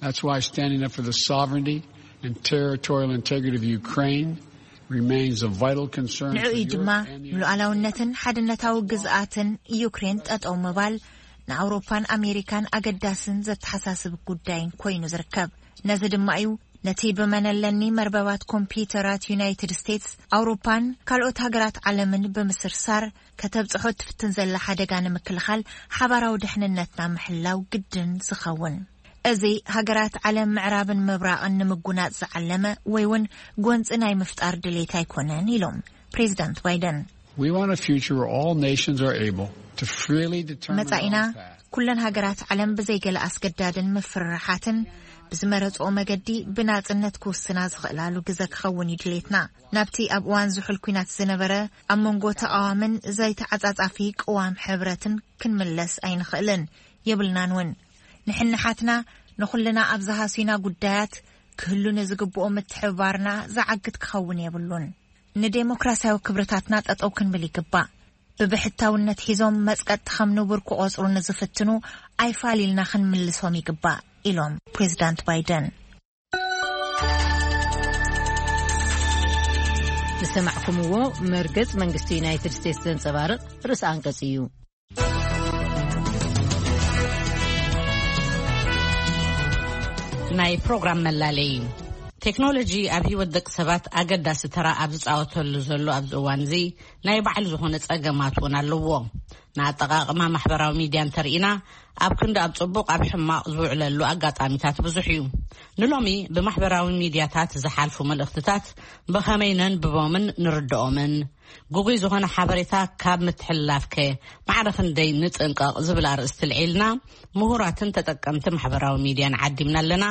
That's why standing up for the sovereignty and territorial integrity of Ukraine remains a vital concern ንዕኡ for እዩ ድማ Europe and the United ንሉዓላውነትን ሓድነታዊ ግዝኣትን ዩክሬን ጠጠው ምባል ንኣውሮፓን ኣሜሪካን ኣገዳስን ዘተሓሳስብ ጉዳይን ኮይኑ ዝርከብ። ነዚ ድማ እዩ ነቲ ብመነለኒ መርበባት ኮምፒውተራት ዩናይትድ ስቴትስ፣ ኣውሮፓን ካልኦት ሃገራት ዓለምን ብምስርሳር ከተብጽሖ ትፍትን ዘላ ሓደጋ ንምክልኻል ሓባራዊ ድሕንነትና ምሕላው ግድን ዝኸውን። እዚ ሃገራት ዓለም ምዕራብን ምብራቕን ንምጉናጽ ዝዓለመ ወይ እውን ጎንጺ ናይ ምፍጣር ድሌት ኣይኮነን ኢሎም ፕሬዚዳንት ባይደን። We want a future where all nations are able to freely determine መጻኢና their own path. ኩለን ሃገራት ዓለም ብዘይገለ ኣስገዳድን ምፍርራሓትን ብዝመረጽኦ መገዲ ብናጽነት ክውስና ዝኽእላሉ ግዘ ክኸውን እዩ ድሌትና። ናብቲ ኣብ እዋን ዝሑል ኲናት ዝነበረ ኣብ መንጎ ተቓዋምን ዘይተዓጻጻፊ ቅዋም ሕብረትን ክንምለስ ኣይንኽእልን፣ የብልናን እውን። ንሕንሓትና ንኹልና ኣብ ዝሃስዩና ጉዳያት ክህሉ ንዝግብኦ ምትሕብባርና ዝዓግት ክኸውን የብሉን። ንዴሞክራሲያዊ ክብርታትና ጠጠው ክንብል ይግባእ። ብብሕታውነት ሒዞም መጽቀጥቲ ከም ንቡር ክቖጽሩ ንዝፍትኑ ኣይፋል ኢልና ክንምልሶም ይግባእ ኢሎም ፕሬዚዳንት ባይደን። ዝሰማዕኩምዎ መርገጽ መንግስቲ ዩናይትድ ስቴትስ ዘንጸባርቕ ርእሰ ኣንቀጽ እዩ። ናይ ፕሮግራም መላለይ። ቴክኖሎጂ ኣብ ህይወት ደቂ ሰባት ኣገዳሲ ተራ ኣብ ዝጻወተሉ ዘሎ ኣብዚ እዋን እዚ፣ ናይ ባዕሉ ዝኾነ ጸገማት እውን ኣለዎ። ንኣጠቓቕማ ማሕበራዊ ሚድያ እንተርኢና፣ ኣብ ክንዲ ኣብ ጽቡቕ ኣብ ሕማቕ ዝውዕለሉ ኣጋጣሚታት ብዙሕ እዩ። ንሎሚ ብማሕበራዊ ሚድያታት ዝሓልፉ መልእኽትታት ብኸመይ ነንብቦምን ንርድኦምን፣ ግጉይ ዝኾነ ሓበሬታ ካብ ምትሕልላፍከ ማዕረ ክንደይ ንጥንቀቕ ዝብል ኣርእስቲ ልዒልና፣ ምሁራትን ተጠቀምቲ ማሕበራዊ ሚድያን ዓዲምና ኣለና።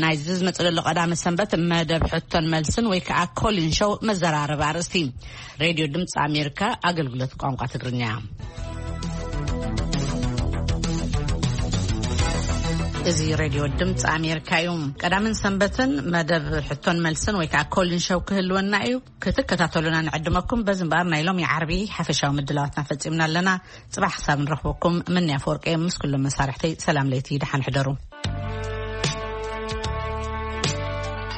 ናይዚ ዝመጽእ ዘሎ ቀዳመ ሰንበት መደብ ሕቶን መልስን ወይ ከዓ ኮሊን ሾው መዘራረቢ ኣርእስቲ። ሬድዮ ድምፂ ኣሜሪካ ኣገልግሎት ቋንቋ ትግርኛ። እዚ ሬድዮ ድምፂ ኣሜሪካ እዩ። ቀዳምን ሰንበትን መደብ ሕቶን መልስን ወይ ከዓ ኮሊን ሸው ክህልወና እዩ። ክትከታተሉና ንዕድመኩም። በዚ እምበኣር ናይ ሎሚ ዓርቢ ሓፈሻዊ ምድላዋትና ፈፂምና ኣለና። ፅባሕ ክሳብ ንረኽበኩም ምንያ ፈወርቀ ምስ ኩሎም መሳርሕተይ ሰላም ለይቲ፣ ደሓን ሕደሩ።